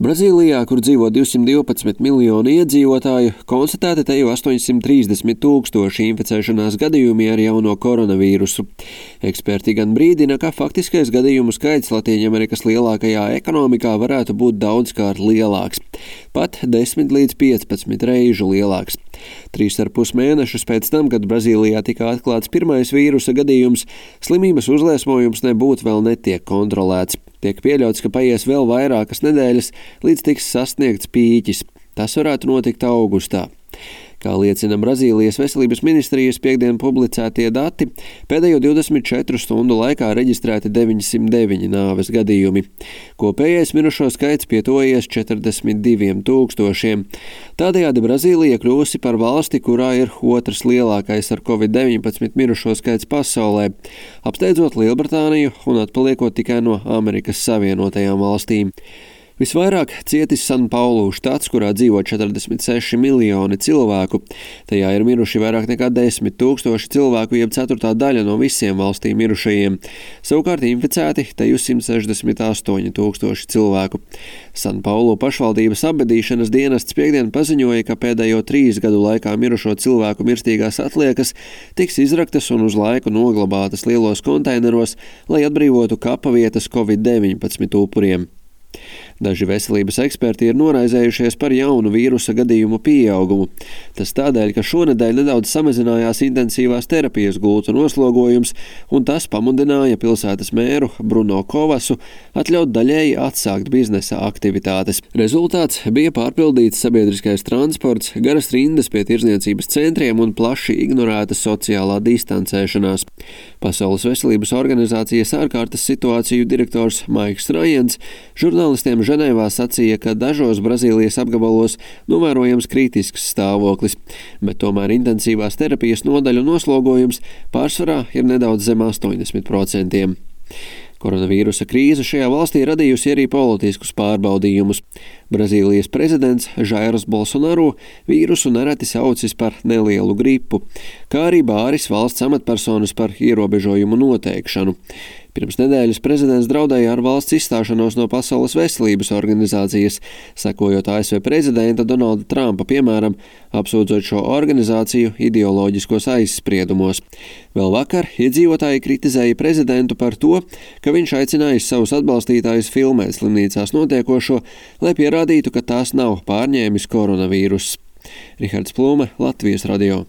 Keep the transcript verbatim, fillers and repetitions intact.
Brazīlijā, kur dzīvo divsimt divpadsmit miljoni iedzīvotāju, konstatēti te jau astoņsimt trīsdesmit tūkstoši inficēšanās gadījumi ar jauno koronavīrusu. Eksperti gan brīdina, ka faktiskais gadījumu skaits Latīņamerikas lielākajā ekonomikā varētu būt daudzkārt lielāks, pat desmit līdz piecpadsmit reižu lielāks. Trīs ar pus mēnešus pēc tam, kad Brazīlijā tika atklāts pirmais vīrusa gadījums, slimības uzliesmojums nebūtu vēl netiek kontrolēts. Tiek pieļauts, ka paies vēl vairākas nedēļas, līdz tiks sasniegts pīķis. Tas varētu notikt augustā. Kā liecina Brazīlijas veselības ministrijas piektdien publicētie dati, pēdējo divdesmit četru stundu laikā reģistrēti deviņsimt deviņi nāves gadījumi. Kopējais mirušo skaits pietuvojies četrdesmit diviem tūkstošiem. Tādējādi Brazīlija kļūsi par valsti, kurā ir otrs lielākais ar covid deviņpadsmit mirušo skaits pasaulē, apsteidzot Lielbritāniju un atpaliekot tikai no Amerikas Savienotajām valstīm. Visvairāk cietis San Paulu štats, kurā dzīvo četrdesmit seši miljoni cilvēku. Tajā ir miruši vairāk nekā desmit tūkstoši cilvēku, jeb ceturtā daļa no visiem valstī mirušajiem. Savukārt inficēti teju simt sešdesmit astoņi tūkstoši cilvēku. San Paulu pašvaldības apbedīšanas dienests piektdien paziņoja, ka pēdējo trīs gadu laikā mirušo cilvēku mirstīgās atliekas tiks izraktas un uz laiku noglabātas lielos konteineros, lai atbrīvotu kapavietas covid deviņpadsmit upuriem. Daži veselības eksperti ir noraizējušies par jaunu vīrusa gadījumu pieaugumu. Tas tādēļ, ka šonedēļ nedaudz samazinājās intensīvās terapijas gultu noslogojums, un tas pamudināja pilsētas mēru Bruno Kovasu atļaut daļēji atsākt biznesa aktivitātes. Rezultāts bija pārpildīts sabiedriskais transports, garas rindas pie tirdzniecības centriem un plaši ignorēta sociālā distancēšanās. Pasaules veselības organizācijas ārkārtas situāciju direktors Maiks Rajens žurnālistiem Ženēvā sacīja, ka dažos Brazīlijas apgabalos novērojams kritisks stāvoklis, bet tomēr intensīvās terapijas nodaļu noslogojums pārsvarā ir nedaudz zem astoņdesmit procentiem. Koronavīrusa krīze šajā valstī radījusi arī politiskus pārbaudījumus. Brazīlijas prezidents Jairs Bolsonaro vīrusu nereti saucis par nelielu gripu, kā arī bāris valsts amatpersonas par ierobežojumu noteikšanu. Pirms nedēļas prezidents draudēja ar valsts izstāšanos no Pasaules veselības organizācijas, sekojot A S V prezidenta Donalda Trumpa piemēram, apsūdzot šo organizāciju ideoloģiskos aizspriedumos. Vēl vakar iedzīvotāji kritizēja prezidentu par to, ka viņš aicinājis savus atbalstītājus filmēt slimnīcās notiekošo, lai pierādītu, ka tās nav pārņēmis koronavīruss. Rihards Plūme, Latvijas radio.